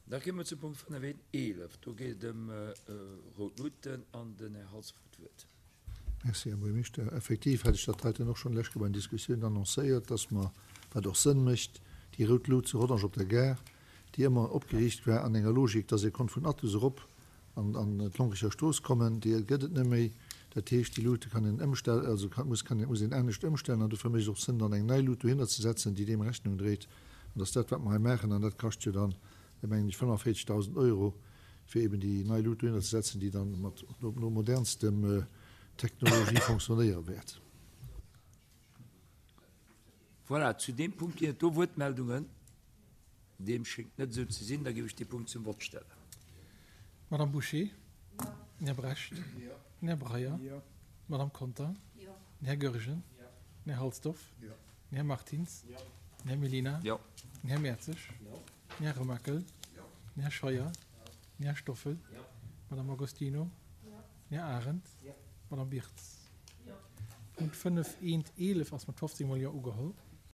Da komme mer zum Punkt 5 11. Do geet et ëm rout Luuten an den Här Halsdorf huet d'Wuert. Merci, Här Buergermeeschter. Effektiv hat ech dat heiten och schonn lech bei den Diskussiounen annoncéiert, dass mer, wat och Sënn mécht, déi rout Lut zu Rodange op der Gare, déi ëmmer opgeriicht war an enger Logik, dass ee konnt vun Athus erop an an d'Lonkecher Strooss kommen, déi gëtt et net méi. Dat heescht, déi Lute kann een ëmstellen, also kann, muss, kann, muss een anescht ëmstellen an dofir mécht et och Sënn, dann eng nei Lut dohinner ze setzen, déi deem Rechnung dréit. An dass dat, wat mer hei maachen, an dat kascht jo dann, mengen ech, 45.000 Euro, fir eben déi nei Lut dohinner ze setzen, déi dann mat no modernstem Technologie fonctionnéiere wäert. Voilà, zu deem Punkt ginn et do Wuertmeldungen. Deem schéngt net esou ze sinn. Da géif ech dee Punkt zum Vott stellen. Madame Bouché? Den Här Brecht? Den Här Breyer? D'Madame Conter? Den Här Goergen? Den Här Halsdorf? Den Här Martins? Den Här Mellina? Den Här Mertzig? Den Här Remakel? Den Här Scheuer? Den Här Stoffel? D'Madame Agostino? Den Här Arendt? D'Madame Birtz? Punkt 5 eent 11 ass mat 15 mol Jo ugeholl.